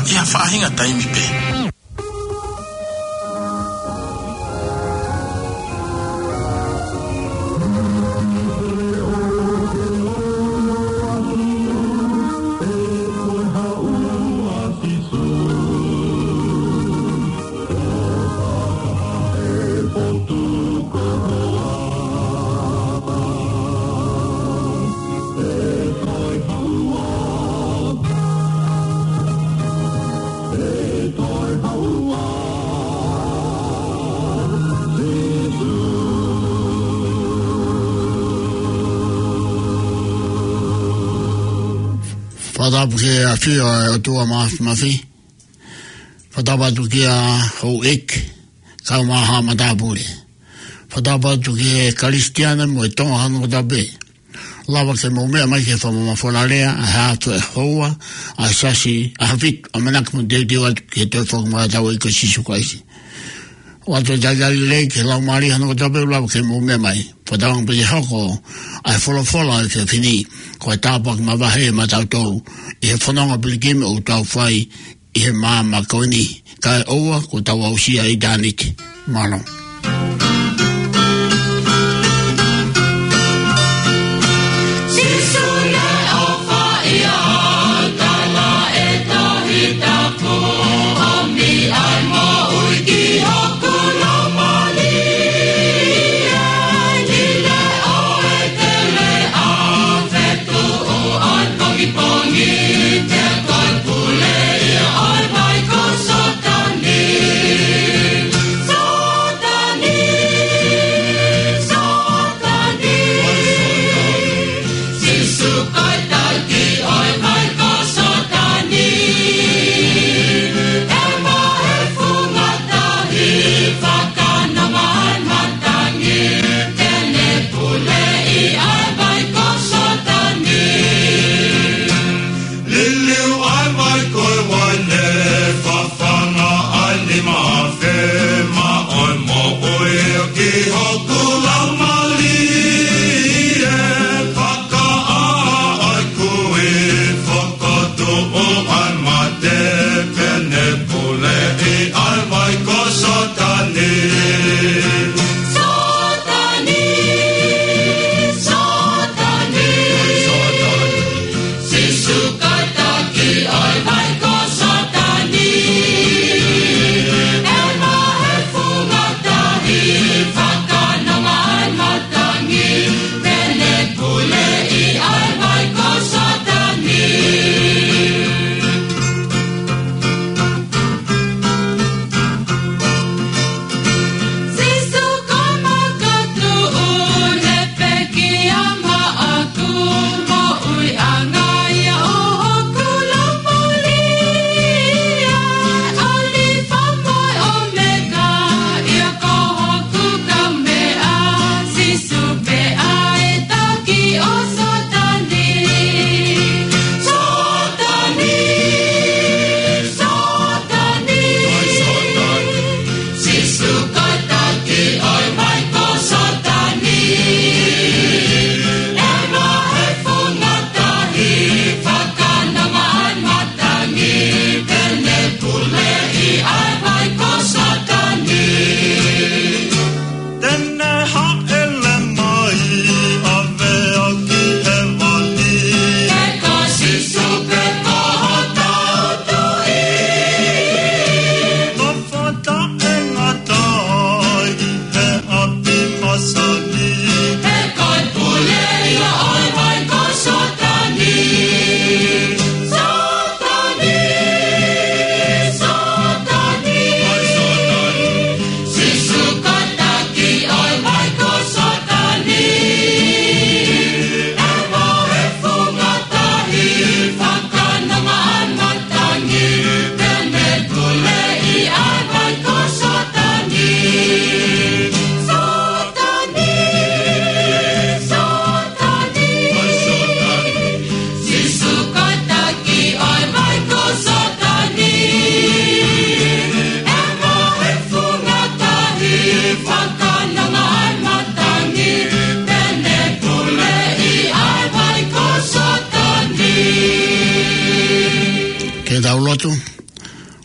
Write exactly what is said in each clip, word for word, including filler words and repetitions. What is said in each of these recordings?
ʻi ha faʻahinga taimi pē. Fakatapu ki he ʻafio ʻa e ʻOtua Mafimafi. Fakatapu atu kia Houʻeiki, kau mai ha matāpule. Fakatapu atu ki he Kalisitiane mo e Tonga hono kotoa pē. Lava ke mou meʻa mai ki he fakamamafola lea, ʻa e haʻato e houa, ʻa e Siasi, ʻa e Haʻafitu, ʻamanaki mo teuteu atu ki he toe foki mai ʻa hotau ʻEiki ko Sīsū Kalaisi. ʻOatu e talitali lelei ki he Laumālie hono kotoa pē, lava ke mou meʻa mai. Fakatauange pē ke hoko ʻa e folofola ʻa e efiafi ni ko e tāpuaki mavahe maʻatautolu ʻi he fononga pilikimi ʻoku tau fai ʻi he māmani ko eni, kae ʻoua kuo tau aʻusia ʻitāniti. Mālō. Sīsū naʻe ʻofa ʻia au, tala ʻe Tohi Tapu, ʻomi ʻa e moʻui ki hoku laumālie. Ni le o e tele a fetuʻu ʻa e pongipongi, te u toe pule ʻia ʻo e vai ko Sōtani. Sōtani.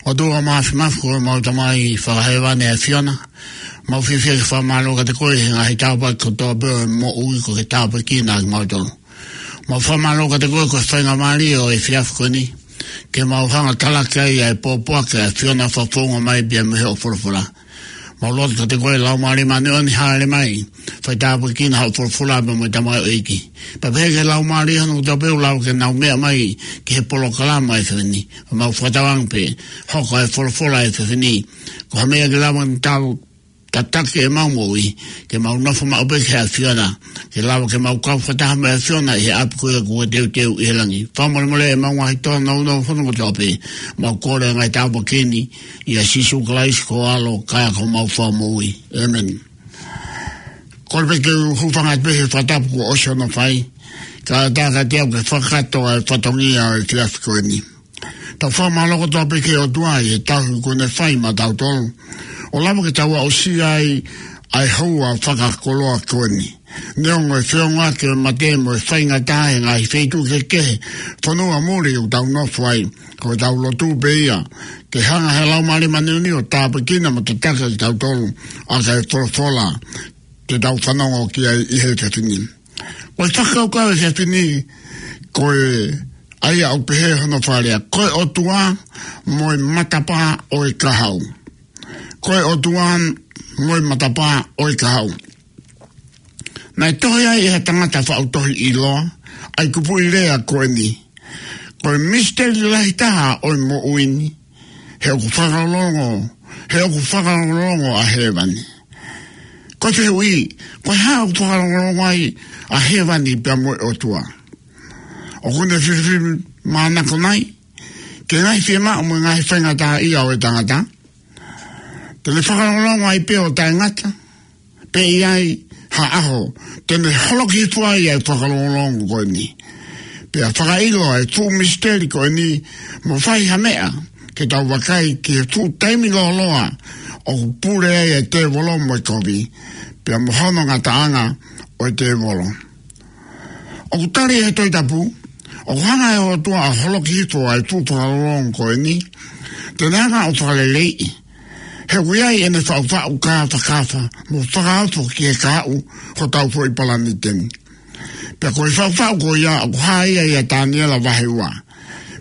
ʻOtua Māfimafi, ko homau Tamai fakahēvani ʻa e ʻAfiona. Mau fiefia ke fakamālō kiate koe he ngaahi tāpuaki kotoa pē ʻo e moʻui kuo ke tāpuekina kimautolu. Mau fakamālō kiate koe ko e faingamālie ʻo e efiafi ko eni ke mau hanga ʻo talaki ai ʻa e pōpoaki ʻa e ʻAfiona fakafofonga mai pea mei hoʻo folofola. Mau lotu kiate koe Laumālie Māʻoniʻoni, hāʻele mai, fai tāpuekina hoʻo folofola pea mo e tamaioʻeiki. Pea pehē ki he laumālie hono kotoa pē ʻoku lava ke nau meʻa mai ki he polokalama ʻo e efiafi ni. Mau fakatauange pē, hoko ʻa e folofola ʻo e efiafi ni ko ha meʻa ke lava ke tau tataki ʻemau moʻui, ke mau nofo maʻu pē ki he ʻAfiona, ke lava ke mau kau fakataha mo e ʻAfiona ʻi he ʻapi ko ia kuo teuteu ʻi he langi. Fakamolemole ʻemau ngaahi tōnounou hono kotoa pē, mau kole ʻa e ngaahi tāpuaki ni, ʻia Sīsū Kalaisi ko ho ʻAlo, ka ko homau Fakamoʻui. ʻĒmeni. Kole pē ke u hūfanga atu pē he fakatapu kuo ʻosi hono fai, kae ʻatā kiate au ke fakakakato ʻa e fatongia ʻo e efiafi ko eni. Tau fakamālō kotoa pē ki he ʻOtua ʻi he tauhi kuo ne fai maʻatautolu, ʻo lava ke tau aʻusia ai ʻa e houa fakakoloa ko eni. Neongo e feongoʻaki ʻo e mate mo e faingataʻa he ngaahi feituʻu kehekehe, fonua muli ʻoku tau nofo ai, ko ʻetau lotu pē ia ke hanga ʻe he Laumālie Māʻoniʻoni ʻo tāpuekina mo tataki kitautolu ʻaki ʻa e folofola te tau fanongo ki ai ʻi he efiafi ni. Ko e fakakaukau ʻo e efiafi ni, ko e, ʻa ia ʻoku pehē hono fakalea, ko e ʻOtua mo e matapā ʻo e kahaʻu. Ko e ʻOtua mo e matapā ʻo e kahaʻu. Naʻe tohi ai ʻe ha tangata faʻu tohi ʻiloa ʻa e kupuʻi lea ko eni: Ko e misiteli lahi taha ʻo e moʻui ni, he ʻoku fakalongolongo, he ʻoku fakalongolongo ʻa hēvani. Ko e fehuʻi, ko e hā ʻoku fakalongolongo ai ʻa hēvani pea mo e ʻOtua? ʻOku ne filifilimānako nai ki he ngaahi fiemaʻu mo e ngaahi faingataʻaʻia ʻo e tangata? Te ne fakalongolongo ai pē ʻo taʻengata, pe ʻe ʻi ai ha ʻaho te ne holoki hifo ai ʻa e fakalongolongo ko eni? Pea fakaʻilo ʻa e fuʻu misiteli ko eni, mo fai ha meʻa ke tau vakai ki he fuʻu taimi lōloa ʻoku pule ai ʻa e tēvolo mo e kovi, pea mo hono ngataʻanga ʻo e tēvolo. ʻOku tali ʻe he Tohi Tapu, ʻoku hanga ʻe he ʻOtua ʻo holoki hifo ʻa e fuʻu fakalongolongo ko eni, te ne hanga ʻo fakaleleiʻi, he ʻoku ʻi ai ʻene faʻufaʻu kāfakafa mo fakaofo ki he kahaʻu hotau foʻi palanite ni. Pea ko e faʻufaʻu ko ia ʻoku hā ia ʻia Taniela vahe ua.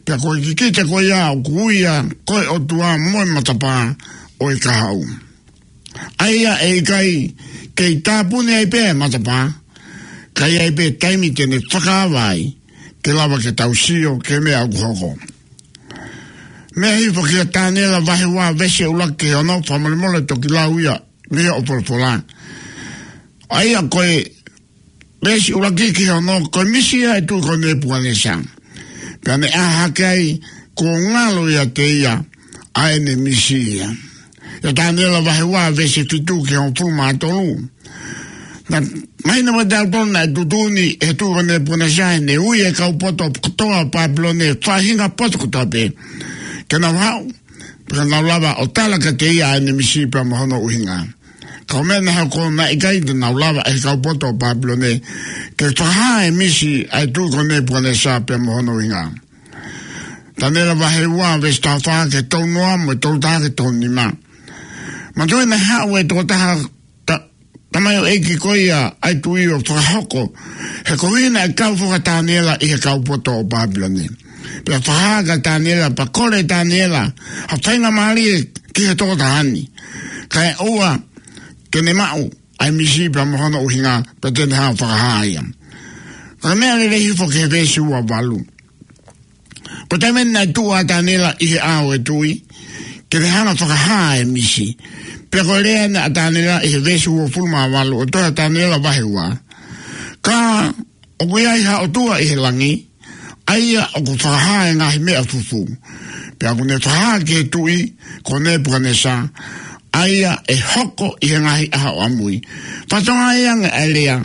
Pea ko e kikite ko ia ʻoku ui ia ko e ʻOtua mo e matapā ʻo e kahaʻu. ʻA ia ʻe ʻikai kei tāpuni ai pē ʻa e matapā, ka ʻi ai pē taimi te ne fakaava ai, ke lava ke tau sio ki he meʻa ʻoku hoko. Meʻa hifo kia Taniela vahe ua veesi ʻuluaki ki he ono, fakamolemole toki lau ia mei hoʻo folofola. ʻA ia ko e veesi ʻuluaki ki he ono, ko e misi ia ʻa e tuʻi ko Nepukanesa. Pea ne ʻā hake ai, kuo ngalo ʻiate ia ʻa ʻene misi ia. ʻIa Taniela vahe ua veesi fitu ki he hongofulu mā tolu. Naʻe mahino kiate kitautolu naʻe tuʻutuʻuni ʻe he tuʻi ko Nepukanesa ʻene ui ʻa e kau poto kotoa ʻo Pāpilone, faʻahinga poto kotoa pē, ke nau haʻu, pea nau lava ʻo tala kiate ia ʻa ʻene misi pea mo hono ʻuhinga. Ka ko e meʻa naʻe hoko, naʻe ʻikai te nau lava ʻe he kau poto ʻo Pāpilone ke fakahā e misi ʻa e tuʻi ko Nepukanesa pea mo hono ʻuhinga. Taniela vahe ua veesi taha fā ki he tolu noa mo e tolu taha ki he tolu nima. Manatuʻi naʻe haʻu e tokotaha ta-, tamaioʻeiki ko ia ʻa e tuʻi ʻo fakahoko, he ko ia naʻe kau foki ʻa Taniela ʻi he kau poto ʻo Pāpilone. Pea fakahā kia Taniela, pea kole ʻe Taniela ha faingamālie ki he tokotaha ni, kae ʻoua ke ne maʻu ʻa e misi pea mo hono ʻuhinga, pea te ne hanga ʻo fakahā ia. Ka ko e meʻa lelei hifo ki he veesi ua valu. Ko e taimi naʻe tuʻu ai ʻa Taniela ʻi he ʻao ʻo e tuʻi ke ne hanga ʻo fakahā e misi. Pea ko e lea ʻeni ʻa Taniela ʻi he veesi uofulu mā valu ʻo e tohi ʻa Taniela vahe ua: Ka ʻoku ʻi ai ha ʻOtua ʻi he langi, ʻa ia ʻoku fakahā e ngaahi meʻa fufū. Pea ʻoku ne fakahā ki he tuʻi ko Nepukanesa ʻa ia ʻe hoko ʻi he ngaahi ʻaho ʻamui. Fatongia ia ʻa e lea.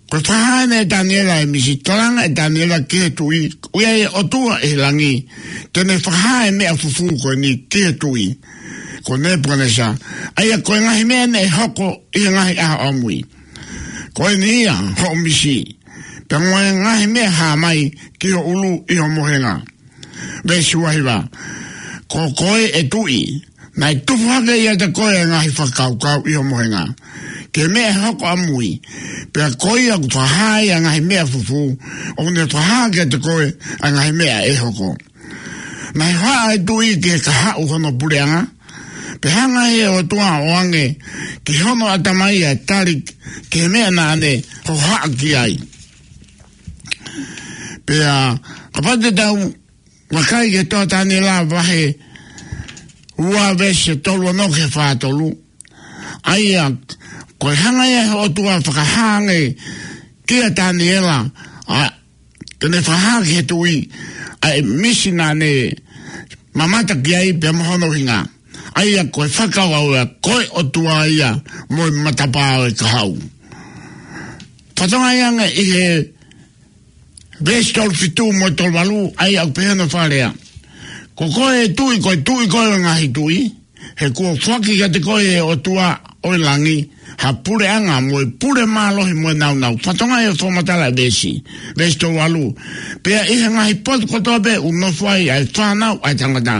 Ko e fakahā ʻeni ʻe Taniela e misi, kalanga ʻe Taniela ki he tuʻi, ʻoku ʻi ai e ʻOtua ʻi he langi, te ne fakahā e meʻa fufū ko eni ki he tuʻi ko Nepukanesa, ʻa ia ko e ngaahi meʻa ʻeni ʻe hoko ʻi he ngaahi ʻaho ʻamui. Ko eni ia hoʻo misi, pea mo e ngaahi meʻa hā mai ki ho ʻulu ʻi ho mohenga. Veesi ua hiva: Ko koe ʻe tuʻi, naʻe tupu hake ʻiate koe ʻa e ngaahi fakakaukau ʻi ho mohenga, ki he meʻa ʻe hoko ʻamui. Pea ko ia ʻoku fakahā ai ʻa e ngaahi meʻa fufū, ʻoku ne fakahā kiate koe ʻa e ngaahi meʻa ʻe hoko. Naʻe hohaʻa ʻa e tuʻi ki he kahaʻu hono puleʻanga, pea hanga ʻe he ʻOtua ʻo ʻoange ki hono ʻatamai ʻa e tali ki he meʻa naʻa ne hohaʻa ki ai. Pea kapau te tau vakai ki he tohi ʻa Taniela vahe ua veesi tolu ono ki he fā tolu. ʻA ia, ko e hanga ia ʻe he ʻOtua ʻo fakahā ange kia Taniela, ʻa, ke ne fakahā ki he tuʻi ʻa e misi naʻa ne mamata ki ai pea mo hono ʻuhinga. ʻA ia ko e fakakaukau ia, ko e ʻOtua ia mo e matapā ʻo e kahaʻu. Fakatokangaʻi ange ʻi he veesi tolu fitu mo e tolu valu, ʻa ia ʻoku pehē hono fakalea: Ko koe ʻe tuʻi, ko e tuʻi koe ʻo e ngaahi tuʻi, he kuo foaki kiate koe ʻe he ʻOtua ʻo e langi ha puleʻanga mo e pule mālohi mo e nāunau. Fakatokangaʻi e fakamatala ʻa e veesi, veesi tolu valu: Pea ʻi he ngaahi potu kotoa pē ʻoku nofo ai ʻa e fānau ʻa e tangata,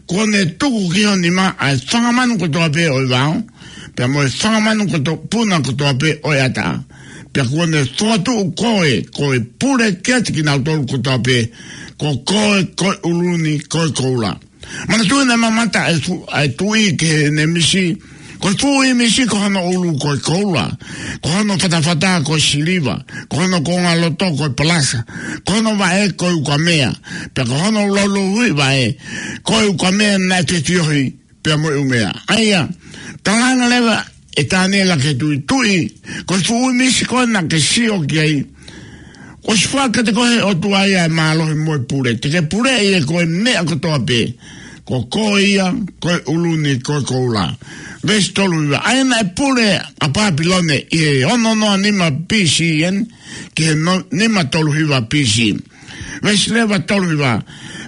kuo ne tuku ki ho nima ʻa e fanga manu kotoa pē ʻo e vao, pea mo e fanga manu koto-, puna kotoa pē ʻo e ʻatā. Pea kuo ne fokotuʻu koe ko e pule kiate kinautolu kotoa pē, ko koe ko e ʻulu ni ko e koula. Manatuʻi naʻe mamata ʻa e fu-, ʻa e tuʻi ki heʻene misi. Ko e fuʻu ʻīmisi ko hono ʻulu ko e koula, ko hono fatafata ko e siliva, ko hono kongaloto ko e palasa, ko hono vaʻe ko e ukamea, pea ko hono laulouhiʻi vaʻe ko e ukamea naʻe fefiohi pea mo e ʻumea. ʻA ia, talaange leva ʻe Taniela ki he tuʻi: Tuʻi, ko e fuʻu ʻīmisi ko ē naʻa ke sio ki ai, kuo ʻosi foaki kiate koe ʻe he ʻOtua ia ʻa e mālohi mo e pule. Te ke puleʻi ʻe koe e meʻa kotoa pē, ko koe ia ko e ʻulu ni ko e koula. Veesi tolu hiva: ʻA ia naʻe pule ʻa Pāpilone ʻi he ono noa nima B C ʻeni ki he no-, nima tolu hiva B C. Veesi leva tolu hiva: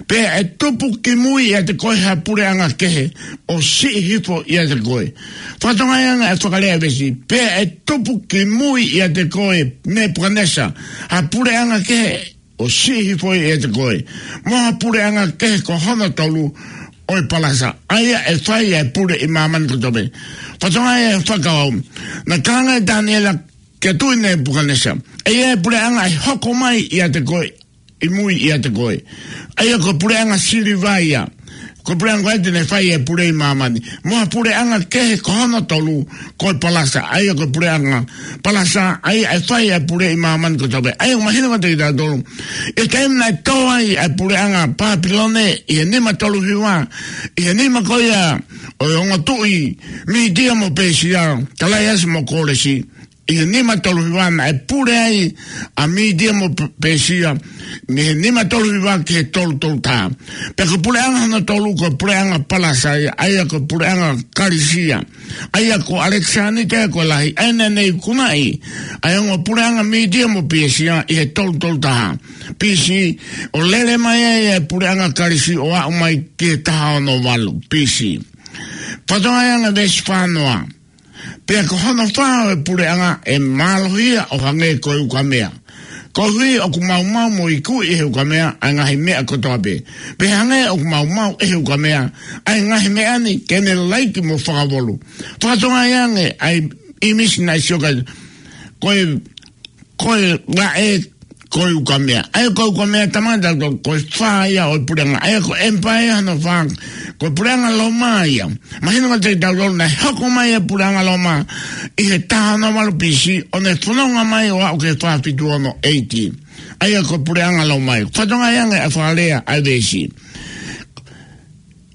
Pea ʻe tupu ki mui ʻiate koe ha puleʻanga kehe ʻo siʻi hifo ʻiate koe. Fakatokangaʻi ange ʻa e fakalea ʻa e veesi: Pea ʻe tupu ki mui ʻiate koe, Nepukanesa, ha puleʻanga kehe ʻo siʻi hifo ʻiate koe, mo ha puleʻanga kehe ko hono tolu ʻo e palasa, ʻa ia ʻe fai ʻa e pule ʻi māmani kotoa pē. Fakatokangaʻi ʻa e fakakaukau. Naʻe talaange ʻe Taniela kia Tuʻi Nepukanesa, ʻe ʻi ai e puleʻanga ʻe hoko mai ʻiate koe, ʻi mui ʻiate koe. ʻA ia ko e puleʻanga siliva ia. Ko e puleʻanga ko ē te ne fai e pule ʻi māmani. Mo ha puleʻanga kehe ko hono tolu, ko e palasa. ʻA ia ko e puleʻanga palasa, ʻa ia ʻe fai e pule ʻi māmani kotoa pē. ʻA ia ʻoku mahino kiate kitautolu, ʻi he taimi naʻe tō ai ʻa e puleʻanga Pāpilone ʻi he nima tolu hiva, ʻi he nima ko ia ʻo e ongo tuʻi Mītia mo Pēsia, Talaiasi mo Kōlesi, ʻi he nima tolu hiva naʻe pule ai ʻa Mītia mo P-, Pēsia, mei he nima tolu hiva ki he tolu tolu taha. Pea ko e puleʻanga hono tolu ko e puleʻanga palasa ia, ʻa ia ko e puleʻanga Kalisia. ʻA ia ko ʻAlekisānita ia ko e Lahi, ʻa ia naʻa ne ikunaʻi ʻa e ongo puleʻanga Mītia mo Pēsia ʻi he tolu tolu taha B C, ʻo lele mai ai ʻa e puleʻanga Kalisi ʻo aʻu mai ki he taha ono valu B C. Fakatokangaʻi ange veesi fā noa: Pea ko hono fā ʻo e puleʻanga ʻe mālohi ia ʻo hangē ko e ukamea, koeʻuhi ʻoku maumau mo ikuʻi ʻe he ukamea ʻa e ngaahi meʻa kotoa pē, pea hangē ʻoku maumau ʻe he ukamea ʻa e ngaahi meʻa ni ke ne laiki mo fakavolu. Fakatokangaʻi ange ʻa e ʻīmisi naʻe sio ki ai, ko e, ko e vaʻe ko e ukamea. ʻA ia ko e ukamea, talamai kiate kitautolu ko e fā ia ʻo e puleʻanga. ʻA ia ko e empire hono fā, ko e puleʻanga Loma ia. Mahino kiate kitautolu naʻe hoko mai e puleʻanga Loma ʻi he taha ono valu B C, ʻo ne fononga mai ʻo aʻu ki he fā fitu ono A D. ʻA ia ko e puleʻanga Loma ia. Fakatokangaʻi ange ʻa e fakalea ʻa e veesi.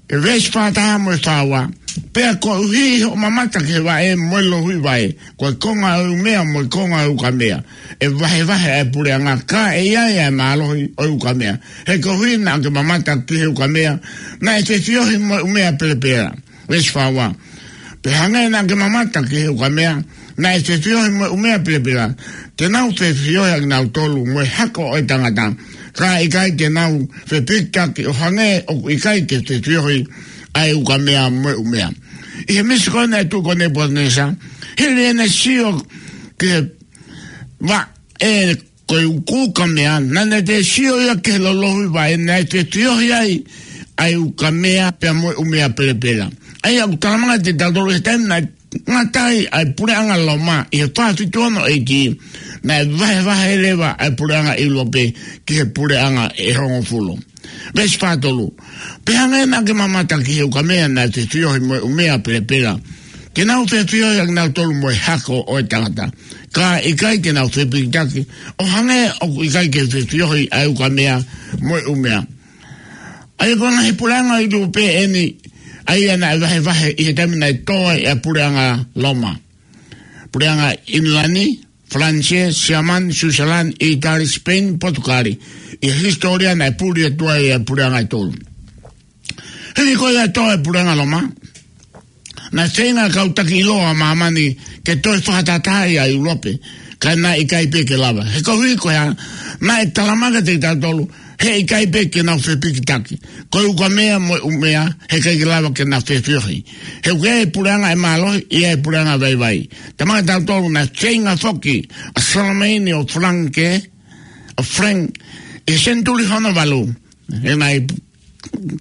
ʻE veesi fā taha mo e fā ua: Pea koeʻuhi hoʻo mamata ki he vaʻe mo e louhiʻi vaʻe, ko e konga ʻo e umea mo e konga ʻo e ukamea, ʻe vahevahe ʻa e puleʻanga, ka ʻe ʻi ai ʻa e mālohi ʻo e ukamea. He koeʻuhi naʻa ke mamata ki he ukamea, naʻe fefiohi mo e umea pelepela. Veesi fā ua: Pea hangē naʻa ke mamata ki he ukamea, naʻe fefiohi mo e umea pelepela, te nau fefiohi ʻa kinautolu mo e hako ʻo e tangata, ka ʻe ʻikai te nau fepikitaki ʻo hangē ʻoku ʻikai ke fefiohi ʻa e ukamea mo e umea. ʻI he misi ko ē naʻe tuʻu ko Nepukanesa, hili ʻene sio ki he vaʻe ko e ukamea, naʻa ne toe sio ia ki he loulouhiʻi vaʻe naʻe fefiohi ai ʻa e ukamea pea mo e ʻumea pelepela. ʻA ia ʻoku talamai kiate kitautolu he taimi naʻe ngata ai ʻa e puleʻanga Loma ʻi he fā fitu ono A D, naʻe vahevahe leva ʻa e puleʻanga ʻIulope ki he puleʻanga ʻe hongofulu. Veesi fā tolu. Pea hangē naʻa ke mamata ki he ukamea naʻe fefiohi mo e ʻumea pelepela, te nau fefiohi ʻa kinautolu mo e hako ʻo e tangata, ka ʻikai te nau fepikitaki, ʻo hangē ʻoku ʻikai ke fefiohi ʻa e ukamea mo e ʻumea. ʻA ia ko e ngaahi puleʻanga ʻIulope eni, ʻa ia naʻe vahevahe ʻi he taimi naʻe tō ai ʻa e puleʻanga Loma. Puleʻanga ʻIngilani, Falanisē, Siamane, Siusilani, ʻItali, Sipeini, Potukali. ʻI he hisitōlia naʻe puli atu ai ʻa e puleʻanga ʻe tolu. Hili ko ia ʻa e tō ʻa e puleʻanga Loma, naʻe feinga ʻa e kau taki ʻiloa ʻa māmani ke toe fakatahatahaʻi ʻa ʻIulope, ka naʻe ʻikai pē ke lava. He koeʻuhi ko e hā? Naʻe talamai kiate kitautolu he ʻikai pē ke nau fepikitaki. Ko e ukamea mo e ʻumea, he ʻikai ke lava ke nau fefiohi. He ʻoku ʻi ai e puleʻanga ʻe mālohi, ʻi ai e puleʻanga ʻe vaivai. Talamai kiate kitautolu naʻe feinga foki ʻa Saleimani ʻo Falanisē, ʻo Falange, ʻi he senituli hono valu, he naʻe,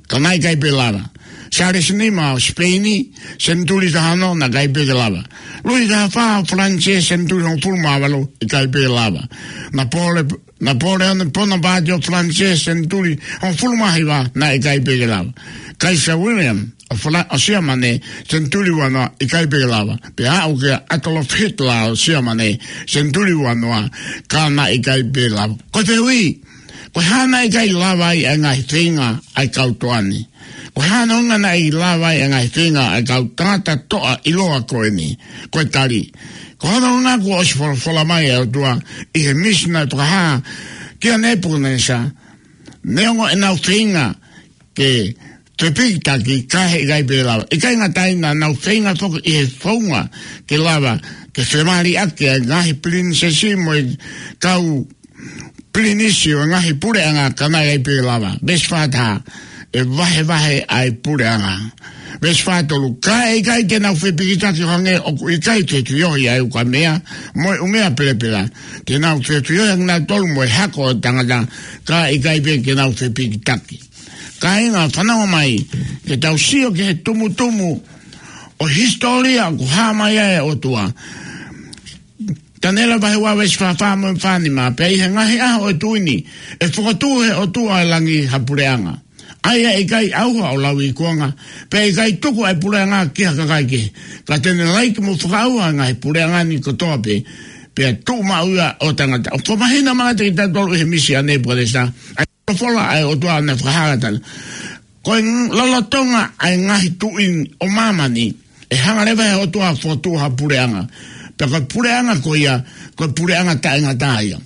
ka naʻe ʻikai pē lava. Sālesi Nima ʻo Sipeini, senituli taha ono, naʻe ʻikai pē ke lava. Luʻi taha fā ʻo Falanisē, senituli hongofulu mā valu, ʻikai pē lava. Napole-, Napoleone Bonaparte ʻo Falanisē, senituli hongofulu mā hiva, naʻe ʻikai pē ke lava. Kaisa William ʻo Fala-, ʻo Siamane, senituli ua noa, ʻikai pē ke lava. Pea aʻu kia Adolf Hitler ʻo Siamane, senituli ua noa, ka naʻe ʻikai pē lava. Ko e fehuʻi, ko e hā naʻe ʻikai lava ai ʻa e ngaahi feinga ʻa e kau toʻa ni? Ko e hā hono ʻuhinga naʻe ʻikai lava ai ʻa e ngaahi feinga ʻa e kau tangata toʻa ʻiloa ko eni? Ko e tali, ko hono ʻuhinga kuo ʻosi folofola mai ʻa e ʻOtua ʻi he misi naʻe fakahā kia Nepukanesa, neongo ʻenau feinga ke fepikitaki, ka he ʻikai pē lava. ʻIkai ngata ai, naʻa nau feinga foki ʻi he founga ke lava ke femaliʻaki ʻa e ngaahi pilinisesi mo e kau pilinisi ʻo e ngaahi puleʻanga, ka naʻe ʻikai pē lava. Veesi fā taha, ʻe vahevahe ʻa e puleʻanga. Veesi fā tolu, ka ʻe ʻikai te nau fepikitaki, ʻo hangē ʻoku ʻikai fefiohi ʻa e ukamea mo e ʻumea pelepela, te nau fefiohi ʻa kinautolu mo e hako ʻo e tangata, ka ʻe ʻikai pē ke nau fepikitaki. Kāinga, fanongo mai, ke tau sio ki he tumutumu ʻo e hisitōlia ʻoku hā mai ai ʻa e ʻOtua. Taniela vahe ua veesi fā fā mo e fā nima, pea ʻi he ngaahi ʻaho ʻo e tuʻi ni, ʻe fokotuʻu ʻe he ʻOtua ʻo e langi ha puleʻanga, ʻa ia ʻe ʻikai ʻauha ʻo lauikuonga, pea ʻe ʻikai tuku ʻa e puleʻanga ki ha kakai kehe, ka te ne laiki mo fakaʻauha ʻa e ngaahi puleʻanga ni kotoa pē, pea tuʻumaʻu ia ʻo tangata. ʻOku fakamahino mai kiate kitautolu ʻi he misi ʻa Nepukanesa ʻa e folofola ʻa e ʻOtua naʻe fakahā ʻe Taniela. Ko e ng-, lolotonga ʻa e ngaahi tuʻi ʻo māmani, ʻe hanga leva ʻe he ʻOtua ʻo fokotuʻu ha puleʻanga. Pea ko e puleʻanga ko ia, ko e puleʻanga taʻengata ia.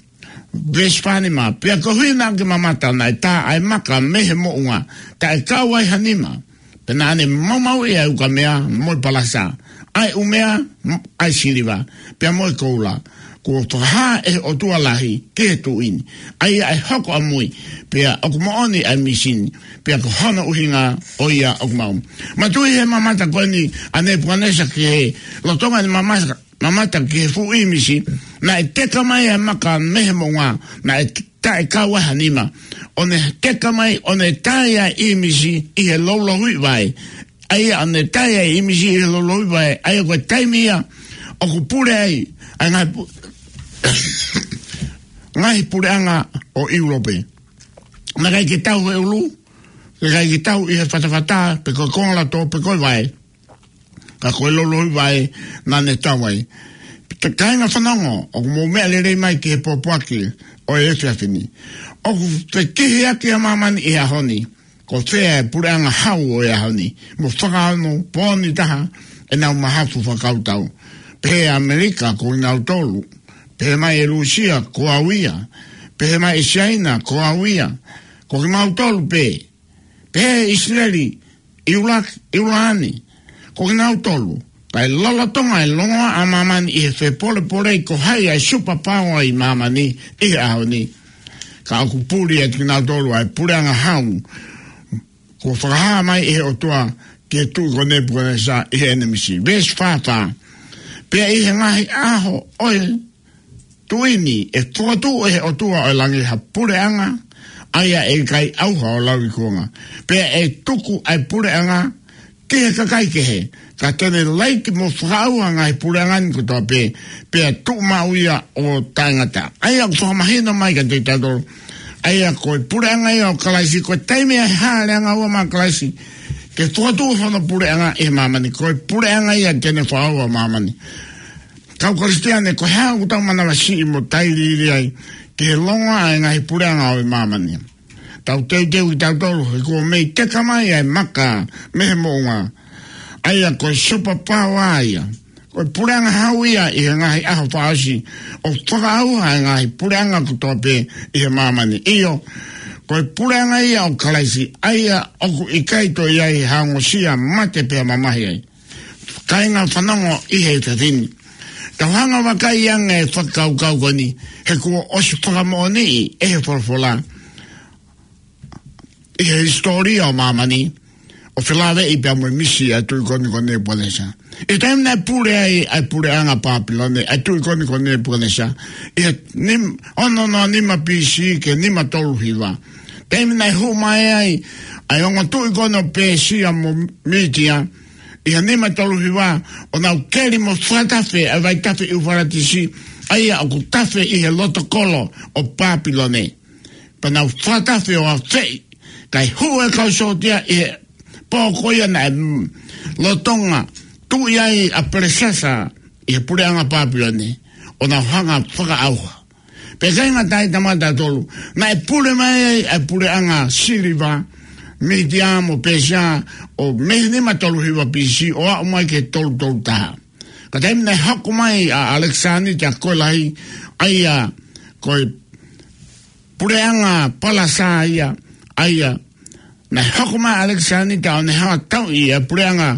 Veesi fā nima, pea koeʻuhi naʻa ke mamata naʻe tā ʻa e maka mei he moʻunga, taʻe kau ai ha nima, pea naʻa ne maumauʻi ʻa e ukamea mo e palasa, ʻa e ʻumea, ʻa e siliva, pea mo e koula, kuo fakahā ʻe he ʻOtua Lahi ki he tuʻi ni, ʻa ia ʻe hoko ʻamui, pea ʻoku moʻoni ʻa e misi ni, pea ko hono ʻuhinga ʻo ia ʻoku maʻu. Manatuʻi he mamata ko eni ʻa Nepukanesa ki he, lolotonga ʻene mamata, mamata ki he fuʻu ʻīmisi, naʻe teka mai ʻa e maka mei he moʻunga, naʻe taʻe kau ai ha nima, ʻo ne teka mai, ʻo ne tā ʻa e ʻīmisi ʻi he loulouhiʻi vaʻe. ʻA ia ʻo ne tā ʻa e ʻīmisi ʻi he loulouhiʻi vaʻe, ʻa ia ko e taimi ia ʻoku pule ai ʻa e ngaahi pu-, ngaahi puleʻanga ʻo ʻIulope. Naʻe ʻikai ke tau he ʻulu, naʻe ʻikai ke tau ʻi he fatafata, pe ko e kongalato, pe ko e vaʻe. Ka ko e loulouhiʻi vaʻe naʻa ne tau ai. Pea kāinga, fanongo, ʻoku mou meʻa lelei mai ki he pōpoaki ʻo e efiafi ni. ʻOku fekihiʻaki ʻa māmani ʻi he ʻaho ni. Ko fē ʻa e puleʻanga hau ʻo e ʻaho ni, mo fakaongo pō ni taha ʻenau mahafu fakakautau? Pehē ʻa ʻAmelika, ko kinautolu. Pehē mai ʻe Lūsia, ko au ia. Pehē mai ʻe Siaina, ko au ia. Ko kimautolu pē. Pehē ʻe ʻIsileli, ʻIulaki, ʻIulani, ko kinautolu. Kae lolotonga e longoaʻa ʻa māmani ʻi he fepolepolei ko hai ʻa e superpower ʻi māmani ʻi he ʻaho ni, ka ʻoku puli ʻe kinautolu ʻa e puleʻanga hau kuo fakahā mai ʻe he ʻOtua ki he tuʻi ko Nepukanesa ʻi heʻene misi. Veesi fā fā, pea ʻi he ngaahi ʻaho ʻo e tuʻi ni ʻe fokotuʻu ʻe he ʻOtua ʻo e langi ha puleʻanga, ʻa ia ʻe ʻikai ʻauha ʻo lauikuonga. Pea ʻe tuku ʻa e puleʻanga ki he kakai kehe, ka te ne laiki mo fakaʻauha ʻa e ngaahi puleʻanga ni kotoa pē, pea tuʻu maʻu ia ʻo taʻengata. ʻA ia ʻoku fakamahino mai kiate kitautolu, ʻa ia ko e puleʻanga ia ʻo Kalaisi, ko e taimi ʻe hāʻele angaua mai ʻa Kalaisi ke fokotuʻu hono puleʻanga ʻi he māmani, ko e puleʻanga ia te ne fakaʻauha ʻa māmani. Kau Kalisitiane, ko e hā ʻoku tau manavasiʻi mo tailiili ai ki he longoaʻa ʻa e ngaahi puleʻanga ʻo e māmani? Tau teuteu kitautolu, he kuo mei teka mai ʻa e maka mei he moʻunga. ʻA ia ko e superpower ia. Ko e puleʻanga hau ia ʻi he ngaahi ʻaho fakaʻosi ʻo fakaʻauha ʻa e ngaahi puleʻanga kotoa pē ʻi he māmani. ʻIo, ko e puleʻanga ia ʻo Kalaisi, ʻa ia ʻoku ʻikai toe ʻi ai ha ongosia, mate pea mamahi ai. Kāinga fanongo ʻi he efiafi ni, tau hanga ʻo vakai ange e fakakaukau ko eni, he kuo ʻosi fakamoʻoniʻi ʻe he folofola ʻi he hisitōlia ʻo māmani, ʻo felāveʻi pea mo e misi ʻa e tuʻi ko eni ko Nepukanesa. ʻI he taimi naʻe pule ai ʻa e puleʻanga Pāpilone, ʻa e tuʻi ko eni ko Nepukanesa, ʻi he nim-, ono noa nima B C ki he nima tolu hiva. Taimi naʻe hū mai ai ʻa e ongo tuʻi ko eni ʻo Pēsia mo Mītia, ʻi he nima tolu hiva, ʻo nau keli mo fakatafe ʻa e vaitafe ʻIufalatisi, ʻa ia ʻoku tafe ʻi he loto kolo ʻo Pāpilone. Pea nau fakatafe ʻo afeʻi, kae hū e kau sōtia ʻi he pō ko ia naʻe, mm, lolotonga tuʻi ai ʻa Pelesasa ʻi he puleʻanga Pāpilone, ʻo nau hanga ʻo fakaʻauha. Pea kāinga, tau tala mai kiate kitautolu, naʻe pule mai ai ʻa e puleʻanga Siliva, Mītia mo Pēsia, ʻo mei he nima tolu hiva B C ʻo aʻu mai ki he tolu tolu taha. Ka taimi naʻe hoko mai ʻa ʻAlekisānita ko e Lahi, ʻa ia ko e puleʻanga Palesā ia, ʻa ia naʻe hoko mai ʻa ʻAlekisānita ʻo ne hanga ʻo tauʻi ʻa e puleʻanga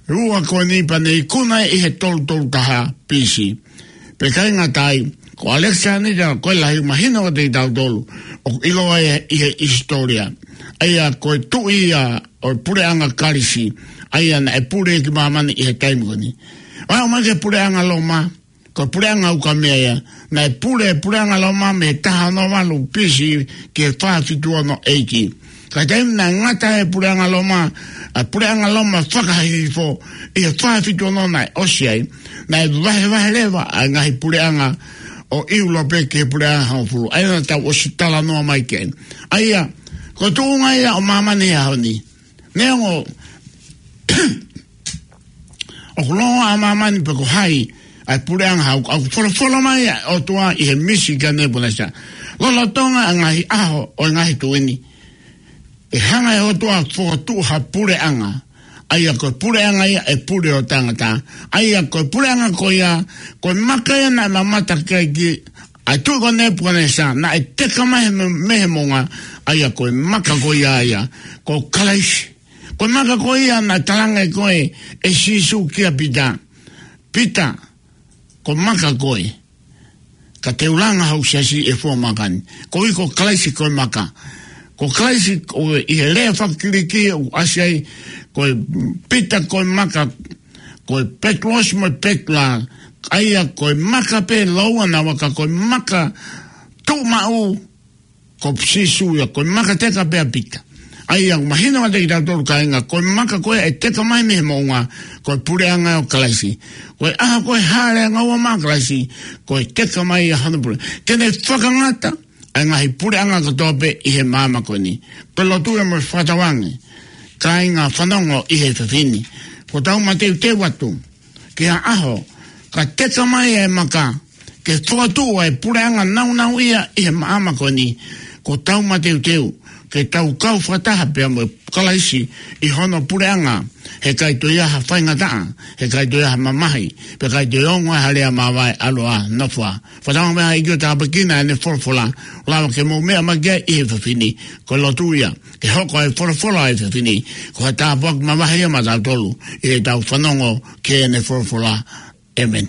ʻe ua ko eni pea ne ikuna ʻi he tolu tolu taha B C. Pea kāinga, ko ʻAlekisānita ko e Lahi, mahino kiate kitautolu, ʻoku ʻiloa ia ʻi he hisitōlia, ʻa ia ko e tuʻi ia ʻo e puleʻanga Kalisi, ʻa ia naʻe pule ki māmani ʻi he taimi ko eni. ʻO aʻu mai ki he puleʻanga Loma, ko e puleʻanga ukamea ia, naʻe pule e puleʻanga Loma mei he taha ono valu B C ki he fā fitu ono A D. Ka taimi naʻe ngata ai e puleʻanga Loma, ʻa e puleʻanga Loma fakahihifo ʻi he fā fitu ono naʻe ʻosi ai, naʻe vahevahe leva ʻa e ngaahi puleʻanga ʻo ʻIulope ki he puleʻanga hongofulu, ʻa ia naʻa tau ʻosi talanoa mai ki ai. ʻA ia, ko e tuʻunga ia ʻo māmani he ʻaho ni. Neongo ʻoku longoaʻa ʻa māmani pe ko hai, ʻa e puleʻanga hau, ʻoku folofola mai ʻa e ʻOtua ʻi he misi kia Nepukanesa, lolotonga ʻa e ngaahi ʻaho ʻo e ngaahi tuʻi ni, ʻe hanga ʻe he ʻOtua ʻo fokotuʻu ha puleʻanga, ʻa ia ko e puleʻanga ia ʻe pule ʻo taʻengata. ʻA ia ko e puleʻanga ko ia, ko e maka ia naʻe mamata ki ai ʻa e tuʻi ko Nepukanesa, naʻe teka mai mei he, mei he moʻunga, ʻa ia ko e maka ko ia ia, ko Kalaisi. Ko e maka ko ia naʻe talaange ko ē ʻe Sīsū kia Pita: Pita, ko e maka koe, ka te u langa hoku siasi ʻi he fua maka ni. Koeʻuhi ko Kalaisi ko e maka. Ko Kalaisi, ko e, ʻi he lea faka-Kiliki ʻoku ʻasi ai, ko e Pita ko e maka, ko e Petulosi mo e Petula, ʻa ia ko e maka pē lōua naua, ka ko e maka tuʻumaʻu ko Sīsū ia, ko e maka teka pē ʻa Pita. ʻA ia ʻoku mahino kiate kitautolu, kāinga, ko e maka ko ē ʻe teka mai mei he moʻunga, ko e puleʻanga ʻo Kalaisi. Ko e ʻaho ko ē ʻe hāʻele angaua mai ʻa Kalaisi, ko e teka mai ia hono pule. Te ne fakangata ʻa e ngaahi puleʻanga kotoa pē ʻi he māmani ko eni. Ko e lotu ia mo e fakatauange, kāinga fanongo ʻi he efiafi ni, kuo tau mateuteu atu ki ha ʻaho ka teka mai e maka ke fokotuʻu ʻa e puleʻanga nāunauʻia ʻi he māmani ko eni. Kuo tau mateuteu ke tau kau fakataha pea mo Kalaisi ʻi hono puleʻanga, he ʻikai toe ʻi ai ha faingataʻa, he ʻikai toe ʻi ai ha mamahi, pea ʻikai toe ongo ai ha lea māvae, ʻalu ā, nofo ā. Fakatauange mai ʻEiki ʻo tāpuekina ʻene folofola, ʻo lava ke mou meʻa mai ki ai ʻi he efiafi ni. Ko e lotu ia ke hoko ʻa e folofola ʻo e efiafi ni ko ha tāpuaki mavahe ia maʻatautolu ʻi heʻetau fanongo ki heʻene folofola. ʻĒmeni.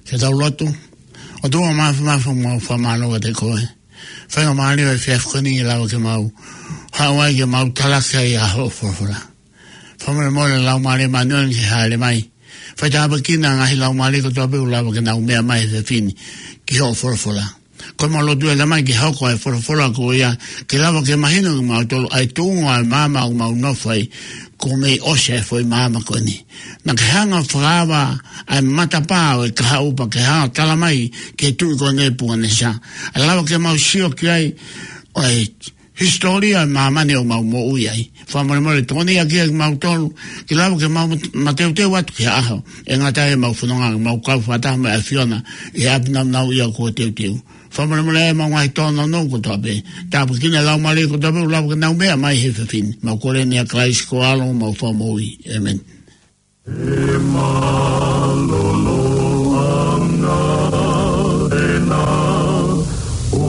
Ke tau lotu. ʻOtua Māfimafi, mau fakamālō atu kiate koe. Faingamālie ʻo e efiafi ko eni ʻe lava ke mau haʻu ai ke mau talaki ai ʻa hoʻo folofola. Fakamolemole Laumālie Māʻoniʻoni ke hāʻele mai. Faitāpuekina ngaahi laumālie kotoa pē ʻoku lava ke nau meʻa mai he efiafi ni ki hoʻo folofola. Ko ʻemau lotu ʻe Tamai ke hoko e folofola ko ia ke lava ke mahino kiate kimautolu ʻa e tuʻunga ʻo e maama ʻoku mau nofo ai, kuo mei ʻosi e foʻi maama ko eni. Naʻa ke hanga ʻo fakaava ʻa e matapā ʻo e kahaʻu pea ke hanga ʻo tala mai ki he tuʻi ko eni Pukanesa. ʻE lava ke mau sio ki ai ʻo e hisitōlia ʻo e māmani ʻoku mau moʻui ai. Fakamolemole tokoniʻi ʻaki kimautolu ke lava ke mau mat-, mateuteu atu ki he ʻaho ʻe ngata ai ʻemau fononga, mau kau fakataha mo e ʻAfiona ʻi he ʻapi nāunau ia kuo teuteu. Fakamolemole ʻemau ngaahi tōnounou kotoa pē. Tāpuekina e laumālie kotoa pē ʻoku lava ke nau meʻa mai he efiafi ni. Mau kole ni ʻia Kalaisi ko ho ʻAlo, homau Fakamoʻui. ʻĒmeni. ʻE mālōlō ʻa e ngaahi ʻena ʻo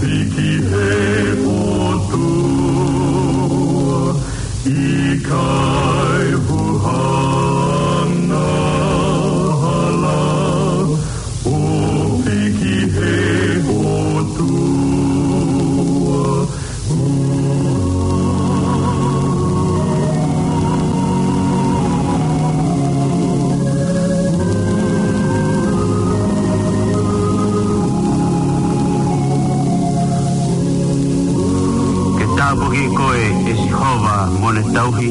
fiki he ʻOtua, ʻikai huhana hala ʻo fiki he ʻOtua. Ke tāpuakiʻi koe ʻe Sihova mo ʻene tauhi,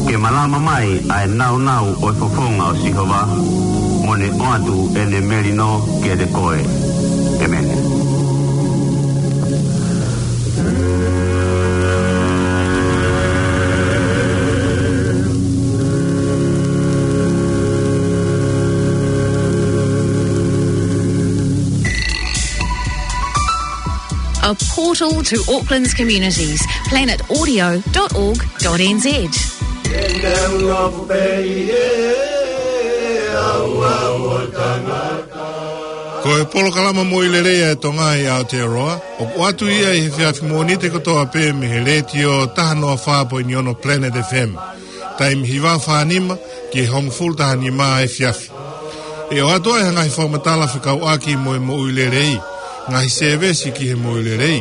ke malama mai ʻa e nāunau ʻo e fofonga ʻo Sihova, mo ne ʻoatu ʻene melino kiate koe. ʻĒmeni. A portal to Auckland's communities. Planet Audio dot org dot N Z. Ko e polokalama Moʻui Lelei ʻa e Tonga ʻi Aotearoa, ʻoku ʻoatu ia ʻi he efiafi Mōnite kotoa pē mei he letiō taha noa fā poini ono Planet F M. Taimi hiva fā nima ki he hongofulu taha nima efiafi. ʻE ʻoatu ai ha ngaahi fakamatala fekauʻaki mo e moʻui lelei, ngaahi sēvesi ki he moʻui lelei,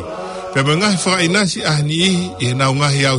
pea mo e ngaahi fakaʻinasi ʻa e niʻihi ʻi heʻenau ngaahi au